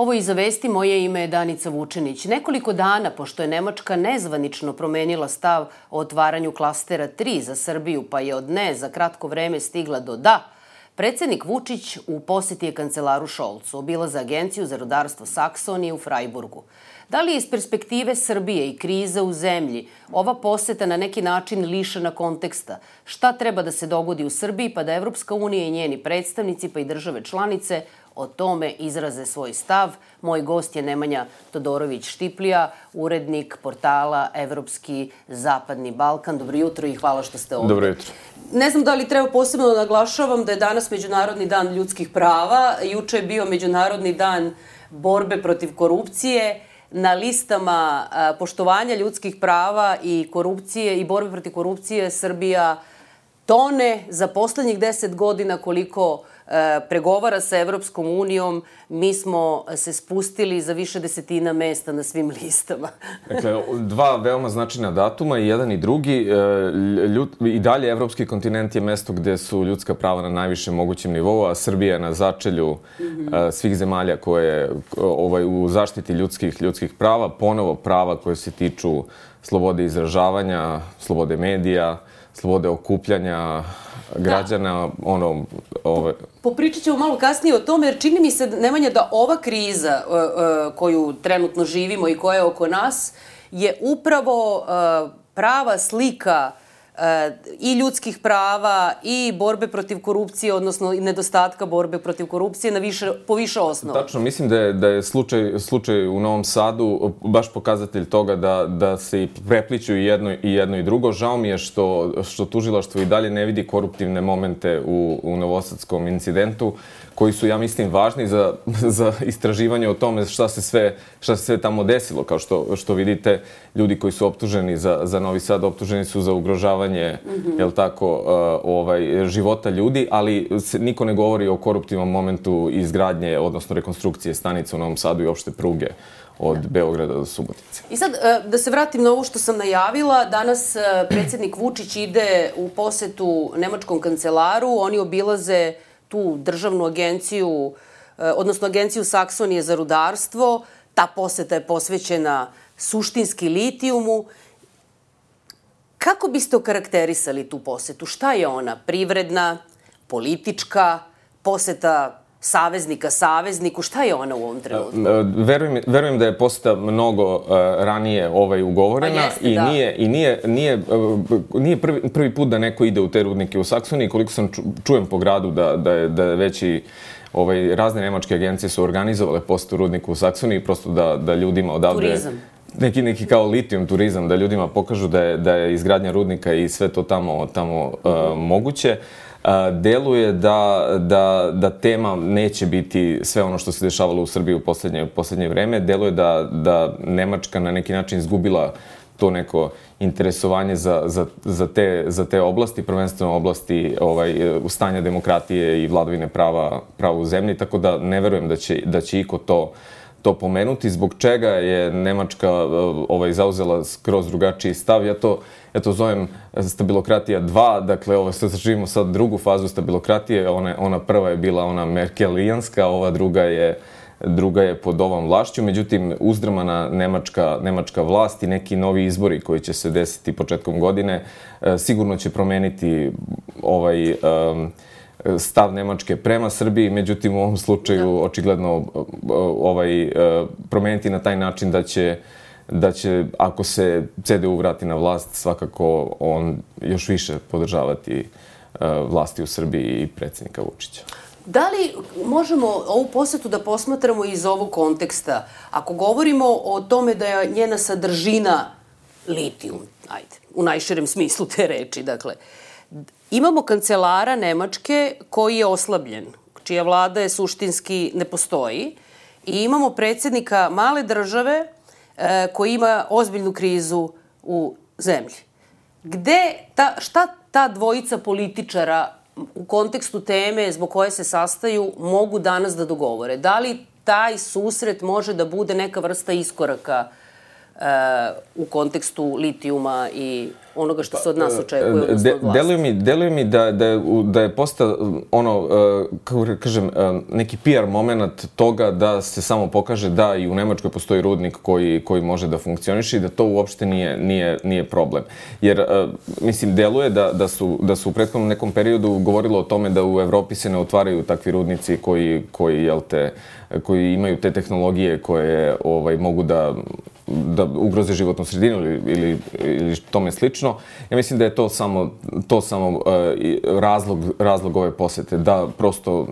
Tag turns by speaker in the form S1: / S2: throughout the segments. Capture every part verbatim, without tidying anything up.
S1: Ovo iza vesti, moje ime je Danica Vučenić. Nekoliko dana, pošto je Nemačka nezvanično promenila stav o otvaranju klastera tri za Srbiju, pa je od ne za kratko vreme stigla do da, predsednik Vučić u poseti je kancelaru Šolcu, obilaze agenciju za rudarstvo Saksonije u Frajburgu. Da li je iz perspektive Srbije i krize u zemlji ova poseta na neki način lišena konteksta? Šta treba da se dogodi u Srbiji pa da Evropska unija i njeni predstavnici pa i države članice o tome izraze svoj stav? Moj gost je Nemanja Todorović-Štiplija, urednik portala Evropski zapadni Balkan. Dobro jutro i hvala što ste ovdje.
S2: Dobro jutro.
S1: Ne znam da li treba posebno da naglašavam da je danas Međunarodni dan ljudskih prava. Juče je bio Međunarodni dan borbe protiv korupcije. Na listama poštovanja ljudskih prava i korupcije i borbe protiv korupcije Srbija tone za poslednjih deset godina koliko pregovara sa Evropskom unijom. Mi smo se spustili za više desetina mesta na svim listama.
S2: Dakle, dva veoma značajna datuma, i jedan i drugi. I dalje evropski kontinent je mesto gde su ljudska prava na najvišem mogućem nivou, a Srbija je na začelju svih zemalja koje u zaštiti ljudskih ljudskih prava, ponovo prava koje se tiču slobode izražavanja, slobode medija, slobode okupljanja građana, ono...
S1: Popričat ćemo malo kasnije o tome, jer čini mi se, Nemanja, da ova kriza koju trenutno živimo i koja je oko nas je upravo prava slika i ljudskih prava i borbe protiv korupcije, odnosno nedostatka borbe protiv korupcije na više, po više osnova.
S2: Tačno, mislim da je, da je slučaj, slučaj u Novom Sadu baš pokazatelj toga da, da se i prepliću i jedno, i jedno i drugo. Žao mi je što, što tužilaštvo i dalje ne vidi koruptivne momente u, u novosadskom incidentu, koji su, ja mislim, važni za, za istraživanje o tome šta se sve, šta se sve tamo desilo. Kao što, što vidite, ljudi koji su optuženi za, za Novi Sad, optuženi su za ugrožavanje, mm-hmm. jel tako, uh, ovaj, života ljudi, ali se, niko ne govori o koruptivnom momentu izgradnje, odnosno rekonstrukcije stanice u Novom Sadu i opšte pruge od da. Beograda do Subotice.
S1: I sad, da se vratim na ovo što sam najavila, danas predsjednik Vučić ide u posetu nemačkom kancelaru, oni obilaze tu državnu agenciju, odnosno agenciju Saksonije za rudarstvo. Ta poseta je posvećena suštinski litijumu. Kako biste okarakterisali tu posetu? Šta je ona? Privredna, politička, poseta saveznika savezniku? Šta je ona u ovom trenutku?
S2: Verujem, verujem da je poseta mnogo uh, ranije ovaj ugovorena.
S1: Pa jeste,
S2: i
S1: da.
S2: nije, i nije, nije, uh, nije prvi, prvi put da neko ide u te rudnike u Saksoniji. Koliko sam ču, čujem po gradu da, da je, da je veći ovaj, razne nemačke agencije su organizovale posetu rudniku u Saksoniji, prosto da, da ljudima odavde...
S1: Turizam.
S2: Neki, neki kao litijum turizam, da ljudima pokažu da je, da je izgradnja rudnika i sve to tamo, tamo uh, moguće. Uh, deluje da, da, da tema neće biti sve ono što se dešavalo u Srbiji u poslednje, poslednje vreme. Deluje da, da Nemačka na neki način izgubila to neko interesovanje za, za, za, te, za te oblasti, prvenstveno oblasti ovaj, stanja demokratije i vladavine prava, prava u zemlji, tako da ne verujem da će, da će iko to to pomenuti, zbog čega je Nemačka ovaj, zauzela skroz drugačiji stav. Ja to, ja to zovem stabilokratija dva, dakle, ovo, sad živimo sad drugu fazu stabilokratije, ona, ona prva je bila ona merkelijanska, ova druga je, druga je pod ovom vlašću, međutim, uzdrmana nemačka, nemačka vlast i neki novi izbori koji će se desiti početkom godine, sigurno će promeniti ovaj... Um, stav Nemačke prema Srbiji, međutim u ovom slučaju da. Očigledno ovaj, promeniti na taj način da će, da će, ako se C D U vrati na vlast, svakako on još više podržavati vlasti u Srbiji i predsjednika Vučića.
S1: Da li možemo ovu posetu da posmatramo iz ovog konteksta? Ako govorimo o tome da je njena sadržina litijum, ajde, u najširem smislu te reči, dakle, imamo kancelara Nemačke koji je oslabljen, čija vlada je suštinski ne postoji, i imamo predsjednika male države e, koji ima ozbiljnu krizu u zemlji. Gde ta, šta ta dvojica političara u kontekstu teme zbog koje se sastaju mogu danas da dogovore? Da li taj susret može da bude neka vrsta iskoraka u kontekstu litijuma i onoga što se od nas očekuje, odnosno od vlasti?
S2: Deluje mi, deluje mi da, da, je, da je postao ono, kako kažem, neki P R moment toga da se samo pokaže da i u Nemačkoj postoji rudnik koji, koji može da funkcioniše i da to uopšte nije, nije, nije problem. Jer, mislim, deluje da, da, su, da su u prethodnom nekom periodu govorilo o tome da u Evropi se ne otvaraju takvi rudnici koji, koji, jel te, koji imaju te tehnologije koje ovaj, mogu da da ugroze životnu sredinu ili, ili, ili tome slično. Ja mislim da je to samo, to samo uh, razlog, razlog ove posete, da prosto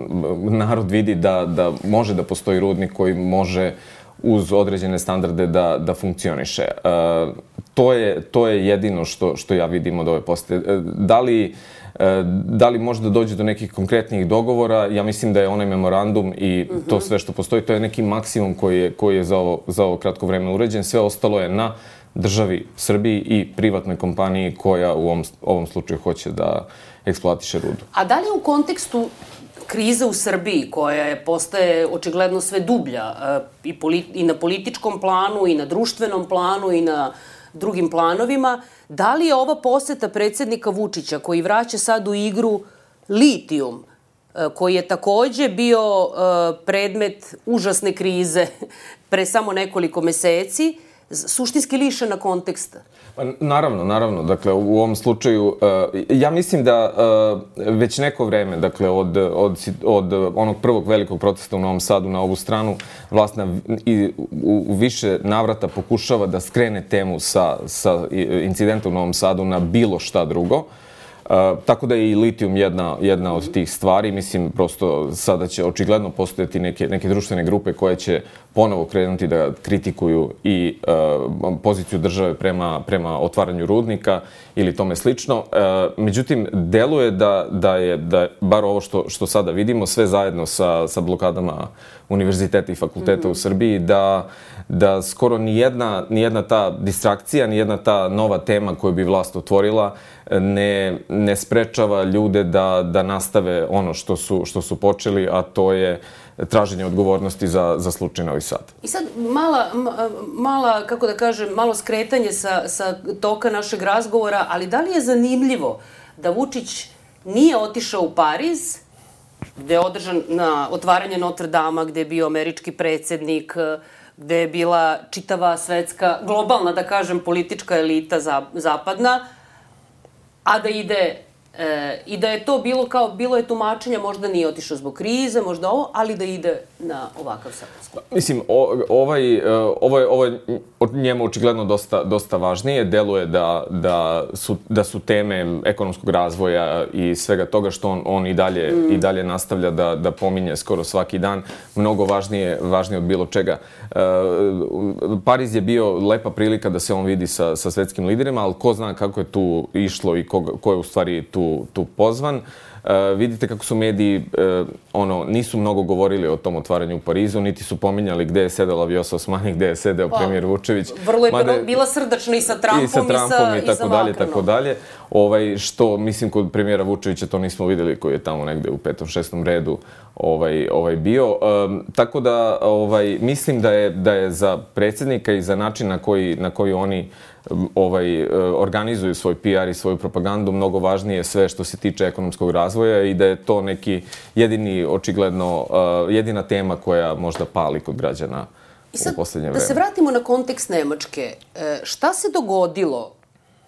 S2: narod vidi da, da može da postoji rudnik koji može uz određene standarde da, da funkcioniše. Uh, to je, to je jedino što, što ja vidim od ove posete. Uh, da li Da li može da dođe do nekih konkretnih dogovora? Ja mislim da je onaj memorandum i to sve što postoji, to je neki maksimum koji je, koji je za, ovo, za ovo kratko vreme uređen. Sve ostalo je na državi Srbiji i privatnoj kompaniji koja u ovom, ovom slučaju hoće da eksploatiše rudu.
S1: A da li u kontekstu krize u Srbiji, koja je, postaje očigledno sve dublja i, polit, i na političkom planu, i na društvenom planu, i na drugim planovima, da li je ova poseta predsjednika Vučića, koji vraća sad u igru litijum, koji je takođe bio predmet užasne krize pre samo nekoliko meseci, suštinski lišena konteksta?
S2: Pa, naravno, naravno. Dakle, u ovom slučaju, ja mislim da već neko vreme, dakle, od, od, od onog prvog velikog protesta u Novom Sadu na ovu stranu, vlast na, i, u, u više navrata pokušava da skrene temu sa, sa incidenta u Novom Sadu na bilo šta drugo. Uh, tako da je i litijum jedna, jedna od tih stvari. Mislim, prosto sada će očigledno postojati neke, neke društvene grupe koje će ponovo krenuti da kritikuju i uh, poziciju države prema, prema otvaranju rudnika ili tome slično. Uh, međutim, deluje da, da je, da bar ovo što, što sada vidimo, sve zajedno sa, sa blokadama univerziteta i fakulteta mm-hmm. u Srbiji, da, da skoro nijedna, nijedna ta distrakcija, nijedna ta nova tema koju bi vlast otvorila ne, ne sprečava ljude da, da nastave ono što su, što su počeli, a to je traženje odgovornosti za, za slučaj Novi Sad.
S1: I sad mala, mala, kako da kažem, malo skretanje sa, sa toka našeg razgovora, ali da li je zanimljivo da Vučić nije otišao u Pariz, gde je održan na otvaranje Notre Dama, gde je bio američki predsjednik, gde je bila čitava svetska, globalna, da kažem, politička elita zapadna, a da ide, e, i da je to bilo kao, bilo je tumačenja, možda nije otišao zbog krize, možda ovo, ali da ide na ovakav sastanak.
S2: Mislim, o, ovaj, ovo je, ovo je njemu očigledno dosta, dosta važnije. Deluje da, da, su, da su teme ekonomskog razvoja i svega toga što on, on i, dalje, mm. i dalje nastavlja da, da pominje skoro svaki dan, mnogo važnije, važnije od bilo čega. E, Pariz je bio lepa prilika da se on vidi sa, sa svetskim liderima, ali ko zna kako je tu išlo i ko, ko je u stvari tu, tu pozvan. Uh, vidite kako su mediji uh, ono, nisu mnogo govorili o tom otvaranju u Parizu, niti su pominjali gde je sedela Vjosa Osmani, gde je sedeo pa, premijer Vučević.
S1: Vrlo je Mada, bila srdačna i sa Trumpom i sa,
S2: Trumpom, i, sa,
S1: i, i
S2: tako dalje, tako dalje. Ovaj, što, mislim, kod premijera Vučevića to nismo videli, koji je tamo negde u petom, šestom redu ovaj, ovaj bio. Um, tako da, ovaj, mislim da je, da je za predsjednika i za način na koji, na koji oni ovaj, organizuju svoj P R i svoju propagandu, mnogo važnije sve što se tiče ekonomskog razvoja i da je to neki jedini, očigledno, jedina tema koja možda pali kod građana u poslednje vreme.
S1: Da se vratimo na kontekst Nemačke. Šta se dogodilo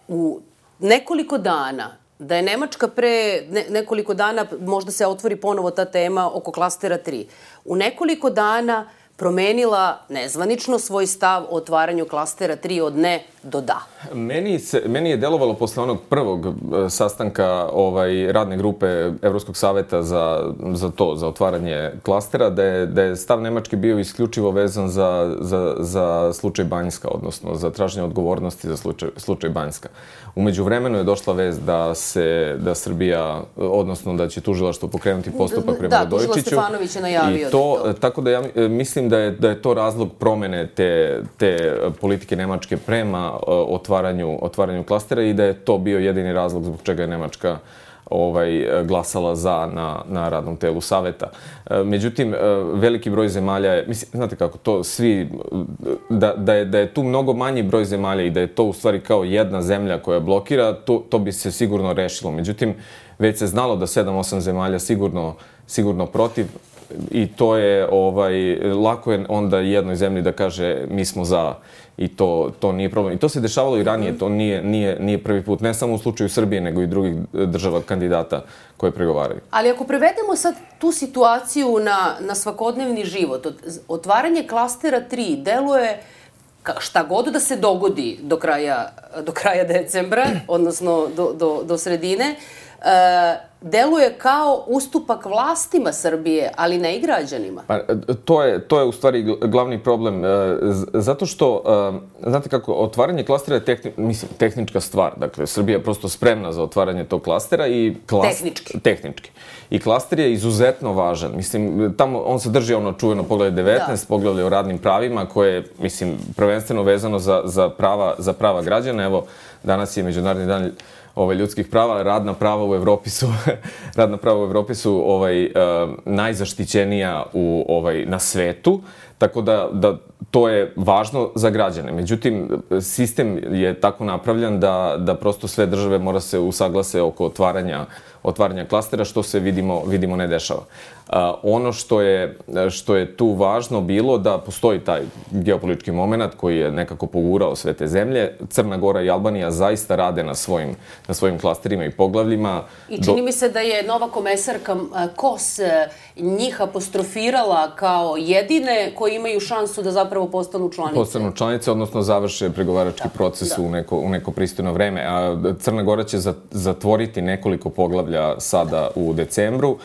S1: u nekoliko dana da je Nemačka pre ne, nekoliko dana, možda se otvori ponovo ta tema oko klastera tri, u nekoliko dana promenila nezvanično svoj stav o otvaranju klastera tri od ne do da?
S2: Meni, se, meni je delovalo posle onog prvog sastanka ovaj, radne grupe Evropskog saveta za, za to, za otvaranje klastera, da je, da je stav Nemačke bio isključivo vezan za, za, za slučaj Banjska, odnosno za traženje odgovornosti za slučaj, slučaj Banjska. Umeđu vremenu je došla vest da se, da Srbija, odnosno da će tužilaštvo pokrenuti postupak prema Radojičiću.
S1: Da, tužila Stefanović je najavio.
S2: I to, to. Tako da ja mislim da je, da je to razlog promene te, te politike Nemačke prema otvaranju, otvaranju klastera i da je to bio jedini razlog zbog čega je Nemačka ovaj, glasala za na, na radnom telu saveta. Međutim, veliki broj zemalja je, mislim, znate kako, to svi, da, da, je, da je tu mnogo manji broj zemalja i da je to u stvari kao jedna zemlja koja blokira, to, to bi se sigurno rešilo. Međutim, već se znalo da sedam osam zemalja sigurno, sigurno protiv i to je, ovaj, lako je onda jednoj zemlji da kaže mi smo za i to, to nije problem. I to se dešavalo i ranije, to nije, nije, nije prvi put, ne samo u slučaju Srbije, nego i drugih država kandidata koje pregovaraju.
S1: Ali ako prevedemo sad tu situaciju na, na svakodnevni život, otvaranje klastera tri deluje šta god da se dogodi do kraja, do kraja decembra, odnosno do, do, do sredine, e, deluje kao ustupak vlastima Srbije, ali ne i građanima.
S2: Pa, to je, to je u stvari glavni problem. Zato što, znate kako, otvaranje klastera je tehni, mislim, tehnička stvar. Dakle, Srbija je prosto spremna za otvaranje tog klastera i... Klas,
S1: tehnički.
S2: Tehnički. I klaster je izuzetno važan. Mislim, tamo on sadrži ono čuveno poglavlje devetnaest, da. Poglavlje o radnim pravima, koje je, mislim, prvenstveno vezano za, za, prava, za prava građana. Evo, danas je Međunarodni dan Ovaj, ljudskih prava, radna prava u Evropi su radna prava u Evropi su ovaj, uh, najzaštićenija u, ovaj, na svetu, tako da, da to je važno za građane. Međutim, sistem je tako napravljan da, da prosto sve države mora se usaglase oko otvaranja, otvaranja klastera, što se vidimo, vidimo ne dešava. Uh, ono što je, što je tu važno bilo da postoji taj geopolitički moment koji je nekako pogurao sve te zemlje. Crna Gora i Albanija zaista rade na svojim, na svojim klasterima i poglavljima.
S1: I čini Do... mi se da je nova komesarka Kos njih apostrofirala kao jedine koji imaju šansu da zapravo postanu članice.
S2: Postanu članice, odnosno završe pregovarački da, proces da. u neko, u neko pristojno vreme. A Crna Gora će zatvoriti nekoliko poglavlja sada u decembru.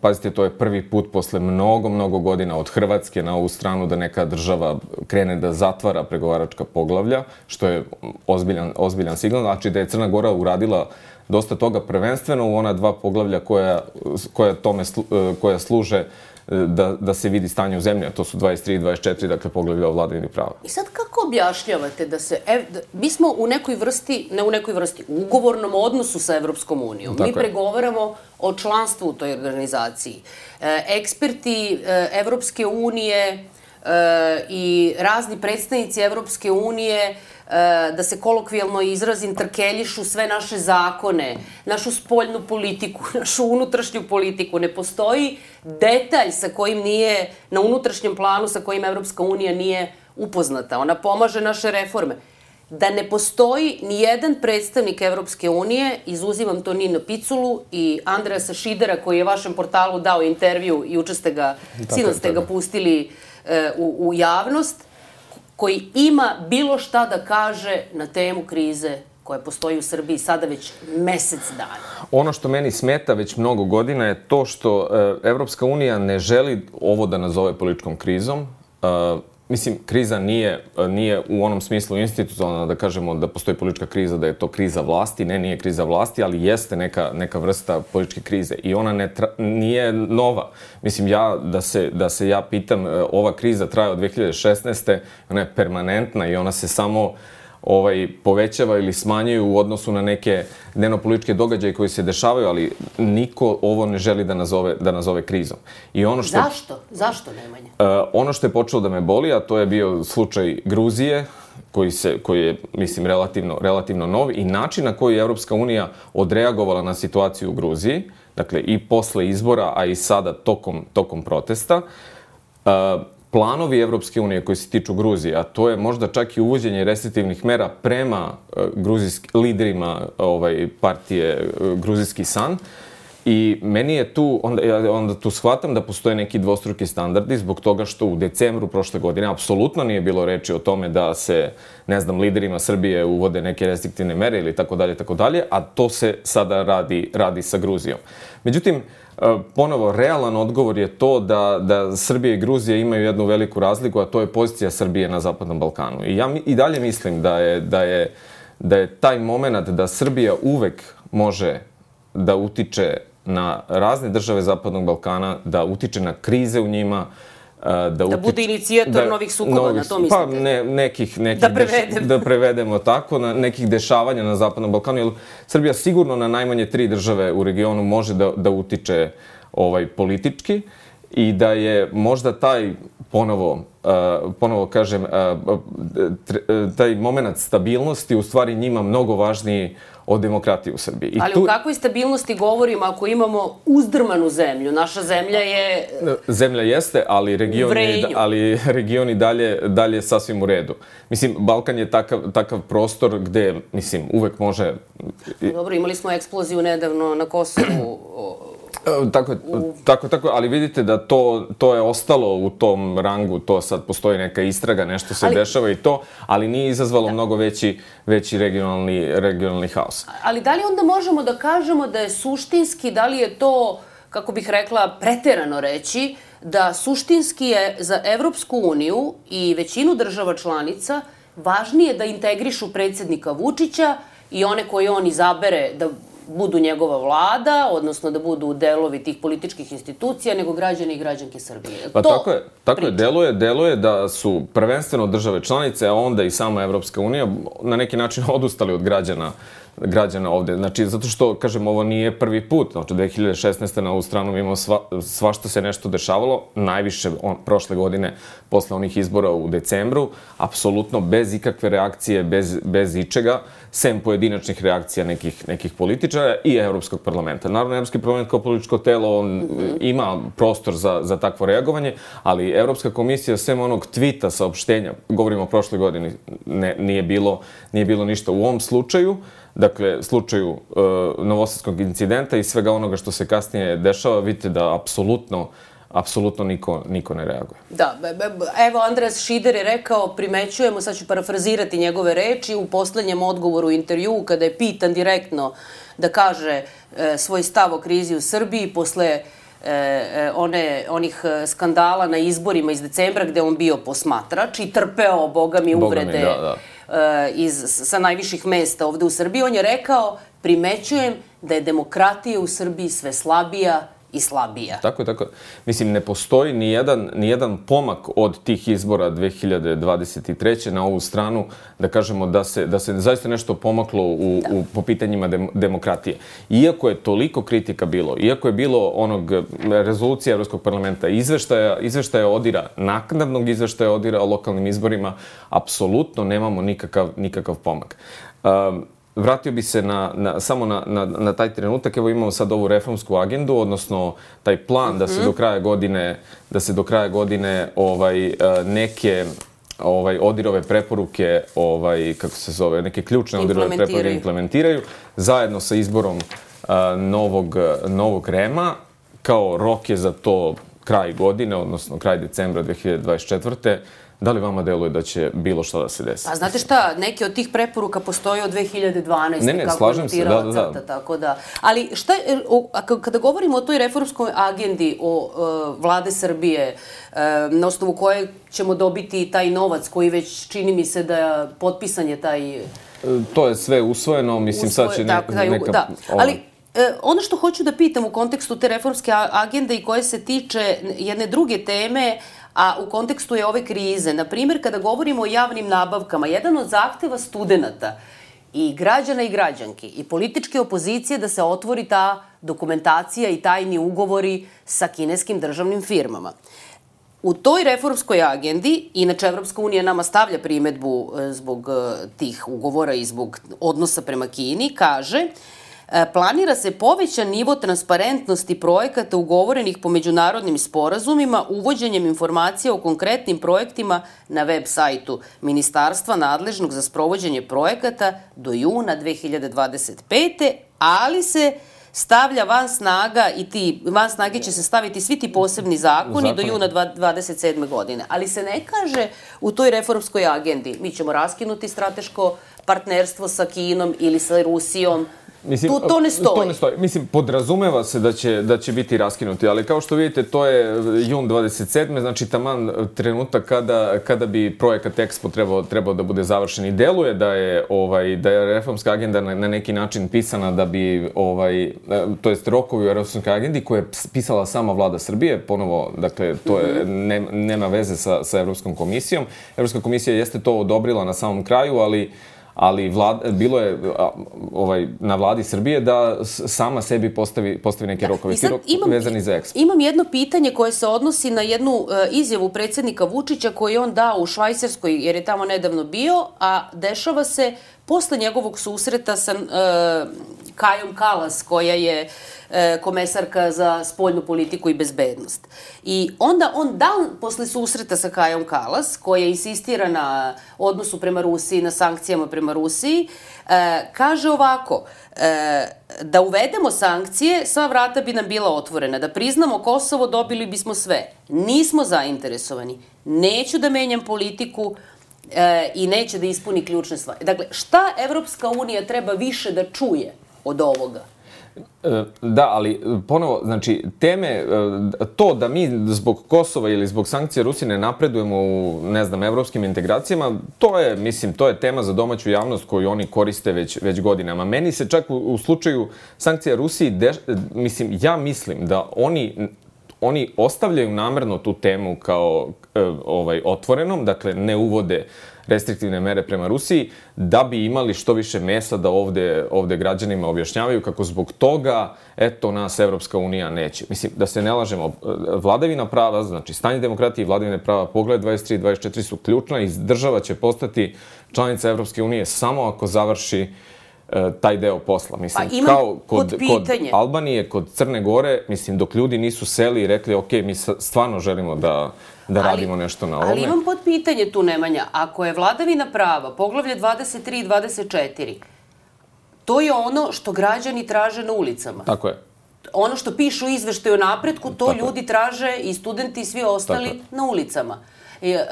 S2: Pazite, to je prvi put posle mnogo, mnogo godina od Hrvatske na ovu stranu da neka država krene da zatvara pregovaračka poglavlja, što je ozbiljan, ozbiljan signal. Znači da je Crna Gora uradila dosta toga prvenstveno u ona dva poglavlja koja, koja, tome, koja služe da, da se vidi stanje u zemlji, a to su dvadeset tri i dvadeset četiri, dakle poglavlja o vladavini prava.
S1: I sad kako objašnjavate da se, ev, da, mi smo u nekoj vrsti, ne u nekoj vrsti, u ugovornom odnosu sa Evropskom unijom. Mi pregovaramo o članstvu u toj organizaciji. E, eksperti e, Evropske unije e, i razni predstavnici Evropske unije, da se kolokvijalno izrazim, trkeljišu sve naše zakone, našu spoljnu politiku, našu unutrašnju politiku. Ne postoji detalj sa kojim nije, na unutrašnjem planu sa kojim Evropska unija nije upoznata. Ona pomaže naše reforme. Da ne postoji ni jedan predstavnik Evropske unije, izuzimam to Ninu Piculu i Andreasa Šidera, koji je vašem portalu dao intervju i juče ste ga, sinoć ste ga pustili u, u javnost, koji ima bilo šta da kaže na temu krize koja postoji u Srbiji sada već mesec dana.
S2: Ono što meni smeta već mnogo godina je to što Evropska unija ne želi ovo da nazove političkom krizom. Mislim, kriza nije, nije u onom smislu institucionalna, da kažemo da postoji politička kriza, da je to kriza vlasti. Ne, nije kriza vlasti, ali jeste neka, neka vrsta političke krize. I ona ne tra, nije nova. Mislim, ja, da se, da se ja pitam, ova kriza traje od dve hiljade šesnaeste. Ona je permanentna i ona se samo ovaj, povećava ili smanjuju u odnosu na neke dnevno-političke događaje koji se dešavaju, ali niko ovo ne želi da nazove, da nazove krizom. I ono što,
S1: Zašto? Zašto, Nemanja?
S2: Uh, ono što je počelo da me boli, a to je bio slučaj Gruzije, koji, se, koji je, mislim, relativno, relativno nov, i način na koji je Evropska unija odreagovala na situaciju u Gruziji, dakle i posle izbora, a i sada tokom, tokom protesta. Uh, Planovi Evropske unije koji se tiču Gruzije, a to je možda čak i uvođenje restriktivnih mera prema uh, gruzijsk, liderima ovaj, partije uh, Gruzijski san. I meni je tu, onda, ja onda tu shvatam da postoje neki dvostruki standardi zbog toga što u decembru prošle godine apsolutno nije bilo reči o tome da se, ne znam, liderima Srbije uvode neke restriktivne mere ili tako dalje, tako dalje, a to se sada radi, radi sa Gruzijom. Međutim, ponovo, realan odgovor je to da, da Srbija i Gruzija imaju jednu veliku razliku, a to je pozicija Srbije na Zapadnom Balkanu. I ja i dalje mislim da je, da je, da je taj moment da Srbija uvek može da utiče na razne države Zapadnog Balkana, da utiče na krize u njima, Da,
S1: da bude inicijator novih sukoba, na to mislite?
S2: Pa ne, nekih, nekih
S1: da, prevedem.
S2: da prevedemo tako, na nekih dešavanja na Zapadnom Balkanu, jer Srbija sigurno na najmanje tri države u regionu može da, da utiče ovaj, politički i da je možda taj ponovo, uh, ponovo kažem, uh, taj moment stabilnosti u stvari njima mnogo važniji od demokratije u Srbiji. I
S1: ali
S2: tu...
S1: o kakvoj stabilnosti govorimo ako imamo uzdrmanu zemlju? Naša zemlja je...
S2: Zemlja jeste, ali region je, ali region i dalje, dalje sasvim u redu. Mislim, Balkan je takav, takav prostor gde, mislim, uvek može...
S1: Dobro, imali smo eksploziju nedavno na Kosovu.
S2: Tako, tako, tako, ali vidite da to, to je ostalo u tom rangu, to sad postoji neka istraga, nešto se ali, dešava i to, ali nije izazvalo da. mnogo veći, veći regionalni, regionalni haos.
S1: Ali da li onda možemo da kažemo da je suštinski, da li je to, kako bih rekla, preterano reći, da suštinski je za Evropsku uniju i većinu država članica važnije da integrišu predsjednika Vučića i one koje on izabere da budu njegova vlada, odnosno da budu delovi tih političkih institucija, nego građani i građanke Srbije.
S2: Pa tako je, tako je, deluje, deluje da su prvenstveno države članice, a onda i sama Evropska unija na neki način odustali od građana građana ovde. Znači, zato što, kažem, ovo nije prvi put. Znači, dve hiljade šesnaeste. na ovu stranu imamo sva, svašta se nešto dešavalo. Najviše on, prošle godine, posle onih izbora u decembru, apsolutno bez ikakve reakcije, bez, bez ičega, sem pojedinačnih reakcija nekih, nekih političara i Evropskog parlamenta. Naravno, Evropski parlament kao političko telo, on mm-hmm. ima prostor za, za takvo reagovanje, ali Evropska komisija, sem onog tvita, saopštenja, govorimo o prošle godini, ne, nije, bilo, nije bilo ništa u ovom slučaju, dakle, slučaju uh, novosadskog incidenta i svega onoga što se kasnije dešava, vidite da apsolutno, apsolutno niko, niko ne reaguje.
S1: Da, evo Andreas Šider je rekao, primećujemo, sad ću parafrazirati njegove reči, u poslednjem odgovoru u intervjuu, kada je pitan direktno da kaže e, svoj stav o krizi u Srbiji, posle e, one, onih skandala na izborima iz decembra, gde on bio posmatrač i trpeo, boga mi, uvrede...
S2: Boga mi, da, da.
S1: Iz, sa najviših mesta ovde u Srbiji, on je rekao, primećujem da je demokratija u Srbiji sve slabija i slabija.
S2: Tako je, tako je. Mislim, ne postoji ni jedan, ni jedan pomak od tih izbora dve hiljade dvadeset treće. na ovu stranu, da kažemo da se, da se zaista nešto pomaklo u, u, po pitanjima dem, demokratije. Iako je toliko kritika bilo, iako je bilo onog rezolucije Evropskog parlamenta, izveštaja, izveštaja odira, naknadnog izveštaja odira o lokalnim izborima, apsolutno nemamo nikakav, nikakav pomak. Um, Vratio bi se na, na, samo na, na, na taj trenutak. Evo imamo sad ovu reformsku agendu, odnosno taj plan mm-hmm. da se do kraja godine, da se do kraja godine ovaj, neke ovaj, ODIHR-ove preporuke, ovaj, kako se zove, neke ključne ODIHR-ove preporuke implementiraju, zajedno sa izborom uh, novog, novog REM-a. Kao rok je za to kraj godine, odnosno kraj decembra dve hiljade dvadeset četvrte. Da li vama deluje da će bilo šta da se desi?
S1: Pa znate šta, neke od tih preporuka postoje od dve hiljade dvanaeste.
S2: Ne, ne, slažem se, da, da, da.
S1: Crta, tako da. Ali šta, o, kada govorimo o toj reformskoj agendi o uh, vlade Srbije, uh, na osnovu koje ćemo dobiti taj novac koji već čini mi se da je potpisan je taj...
S2: To je sve usvojeno, mislim Usvoje, sad će ne, tako, taj, neka...
S1: Da, ali... Ono što hoću da pitam u kontekstu te reformske agende i koje se tiče jedne druge teme, a u kontekstu je ove krize, na primjer, kada govorimo o javnim nabavkama, jedan od zahteva studenta i građana i građanki i političke opozicije da se otvori ta dokumentacija i tajni ugovori sa kineskim državnim firmama. U toj reformskoj agendi, inače Evropska unija nama stavlja primedbu zbog tih ugovora i zbog odnosa prema Kini, kaže: planira se povećan nivo transparentnosti projekata ugovorenih po međunarodnim sporazumima uvođenjem informacija o konkretnim projektima na web sajtu Ministarstva nadležnog za sprovođenje projekata do juna dve hiljade dvadeset pete. ali se stavlja van snaga i ti, van snage će se staviti svi ti posebni zakoni do juna dvadeset sedme. godine. Ali se ne kaže u toj reformskoj agendi, mi ćemo raskinuti strateško partnerstvo sa Kinom ili sa Rusijom,
S2: Mislim,
S1: tu to ne stoji.
S2: To ne stoji. Mislim, podrazumeva se da će, da će biti raskinuti, ali kao što vidite, to je jun dvadeset sedme, znači taman trenutak kada, kada bi projekat Expo trebao, trebao da bude završen. I deluje da je, ovaj, da je reformska agenda na, na neki način pisana da bi, ovaj, to jest rokovi u reformskoj agendi koje je pisala sama vlada Srbije, ponovo, dakle, to je, ne, nema veze sa, sa Evropskom komisijom. Evropska komisija jeste to odobrila na samom kraju, ali ali vlad, bilo je ovaj, na vladi Srbije da sama sebi postavi, postavi neke rokove, ti rok vezani za Expo.
S1: Imam jedno pitanje koje se odnosi na jednu uh, izjavu predsjednika Vučića koju je on dao u Švajcarskoj, jer je tamo nedavno bio, a dešava se posle njegovog susreta sa uh, Kajom Kalas, koja je e, komesarka za spoljnu politiku i bezbednost. I onda on dan posle susreta sa Kajom Kalas, koja insistira na odnosu prema Rusiji, na sankcijama prema Rusiji, e, kaže ovako, e, da uvedemo sankcije, sva vrata bi nam bila otvorena. Da priznamo Kosovo, dobili bismo sve. Nismo zainteresovani. Neću da menjam politiku, e, i neće da ispuni ključne stvari. Dakle, šta Evropska unija treba više da čuje od ovoga?
S2: Da, ali ponovo, znači, teme, to da mi zbog Kosova ili zbog sankcija Rusije ne napredujemo u, ne znam, evropskim integracijama, to je, mislim, to je tema za domaću javnost koju oni koriste već, već godinama. Meni se čak u, u slučaju sankcija Rusiji, de, mislim, ja mislim da oni oni ostavljaju namerno tu temu kao ovaj, otvorenom, dakle, ne uvode restriktivne mere prema Rusiji, da bi imali što više mesa da ovde, ovde građanima objašnjavaju kako zbog toga, eto, nas Evropska unija neće. Mislim, da se ne lažemo, vladavina prava, znači stanje demokratije i vladavine prava, pogled dvadeset tri i dvadeset četiri su ključna i država će postati članica Evropske unije samo ako završi taj deo posla. Mislim,
S1: pa
S2: kao kod, kod Albanije, kod Crne Gore, mislim, dok ljudi nisu seli i rekli, ok, mi stvarno želimo da, da ali, radimo nešto na ovome.
S1: Ali imam pod pitanje tu, Nemanja. Ako je vladavina prava, poglavlje dvadeset tri i dvadeset četiri, to je ono što građani traže na ulicama.
S2: Tako je.
S1: Ono što pišu u izveštaju o napretku, to Tako ljudi je. traže i studenti i svi ostali na ulicama. I, e,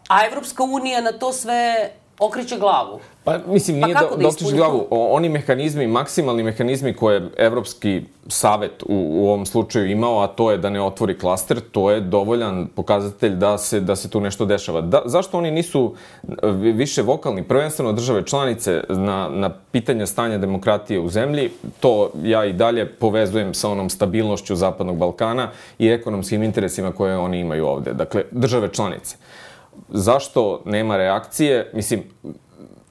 S1: a Evropska unija na to sve okreće glavu.
S2: Pa, mislim, nije
S1: pa
S2: da, da okreće glavu. Oni mehanizmi, maksimalni mehanizmi koje je Evropski savet u, u ovom slučaju imao, a to je da ne otvori klaster, to je dovoljan pokazatelj da se, da se tu nešto dešava. Da, zašto oni nisu više vokalni, prvenstveno države članice, na, na pitanja stanja demokratije u zemlji? To ja i dalje povezujem sa onom stabilnošću Zapadnog Balkana i ekonomskim interesima koje oni imaju ovde. Dakle, države članice. Zašto nema reakcije? Mislim,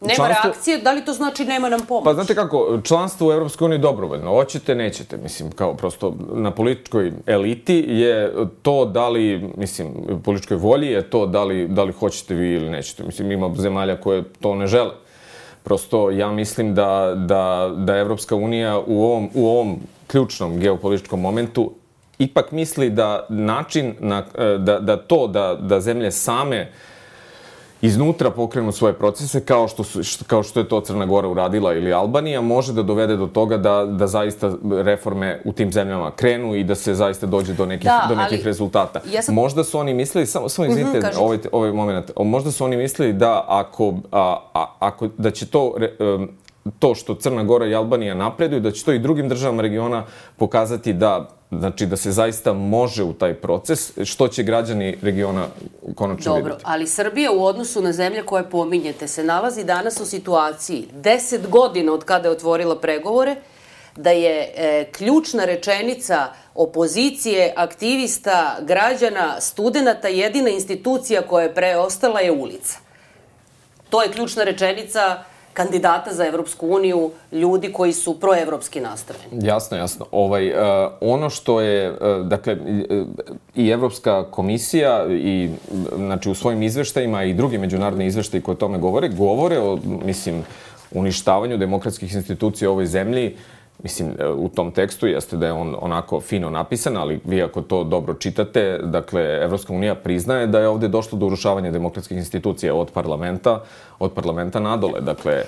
S1: nema članstvo... reakcije? Da li to znači nema nam pomoć?
S2: Pa znate kako, članstvo u Evropskoj uniji je dobrovoljno. Hoćete, nećete. Mislim, kao prosto na političkoj eliti je to da li, mislim, u političkoj volji je to da li, da li hoćete vi ili nećete. Mislim, ima zemalja koje to ne žele. Prosto ja mislim da, da, da Evropska unija u ovom, u ovom ključnom geopolitičkom momentu ipak misli da način, na, da, da to, da, da zemlje same iznutra pokrenu svoje procese, kao što, su, kao što je to Crna Gora uradila ili Albanija, može da dovede do toga da, da zaista reforme u tim zemljama krenu i da se zaista dođe do nekih,
S1: da,
S2: do nekih
S1: ali,
S2: rezultata.
S1: Ja sam...
S2: Možda su oni mislili, samo, samo izvinite, mm-hmm, ovaj, ovaj moment, možda su oni mislili da ako, a, a, ako da će to... Um, to što Crna Gora i Albanija napreduju, da će to i drugim državama regiona pokazati da, znači, da se zaista može u taj proces, što će građani regiona konačno vidjeti.
S1: Dobro, ali Srbija u odnosu na zemlje koje pominjete se nalazi danas u situaciji deset godina od kada je otvorila pregovore, da je e, ključna rečenica opozicije, aktivista, građana, studenata, jedina institucija koja je preostala je ulica. To je ključna rečenica kandidata za Evropsku uniju, ljudi koji su proevropski nastrojeni.
S2: Jasno, jasno. Ovaj, uh, ono što je, uh, dakle, uh, i Evropska komisija i, znači, u svojim izveštajima i drugi međunarodni izveštaji koji o tome govore, govore o, mislim, uništavanju demokratskih institucija u ovoj zemlji mislim, u tom tekstu jeste da je on onako fino napisan, ali vi ako to dobro čitate, dakle, Evropska unija priznaje da je ovde došlo do urušavanja demokratskih institucija od parlamenta, od parlamenta nadole. Dakle,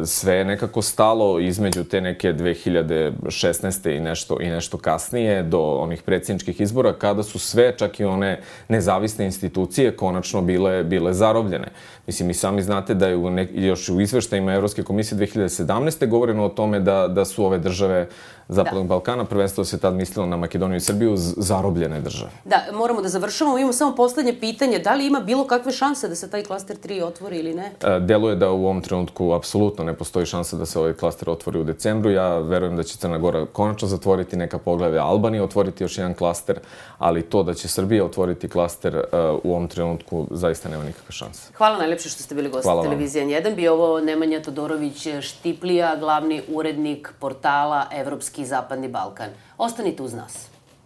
S2: sve je nekako stalo između te neke dve hiljade šesnaeste i nešto, i nešto kasnije do onih predsjedničkih izbora, kada su sve, čak i one nezavisne institucije, konačno bile, bile zarobljene. Mislim, i sami znate da je u ne, još u izveštajima Evropske komisije dve hiljade sedamnaeste govoreno o tome da, da su ove države Zapadnog Balkana, prvenstveno se tad mislilo na Makedoniju i Srbiju, zarobljene države.
S1: Da, moramo da završamo. Imamo samo poslednje pitanje. Da li ima bilo kakve šanse da se taj klaster tri otvori ili ne?
S2: Deluje da u ovom trenutku apsolutno ne postoji šansa da se ovaj klaster otvori u decembru. Ja verujem da će Crna Gora konačno zatvoriti neka poglavlja, Albanija otvoriti još jedan klaster, ali to da će Srbija otvoriti klaster u ovom trenutku zaista nema nikakve šanse.
S1: Hvala najlepše što ste bili gosti televizije N jedan. Bio ovo Nemanja Todorović Štiplija, glavni urednik portala Evropski i Zapadni Balkan. Ostanite uz nas.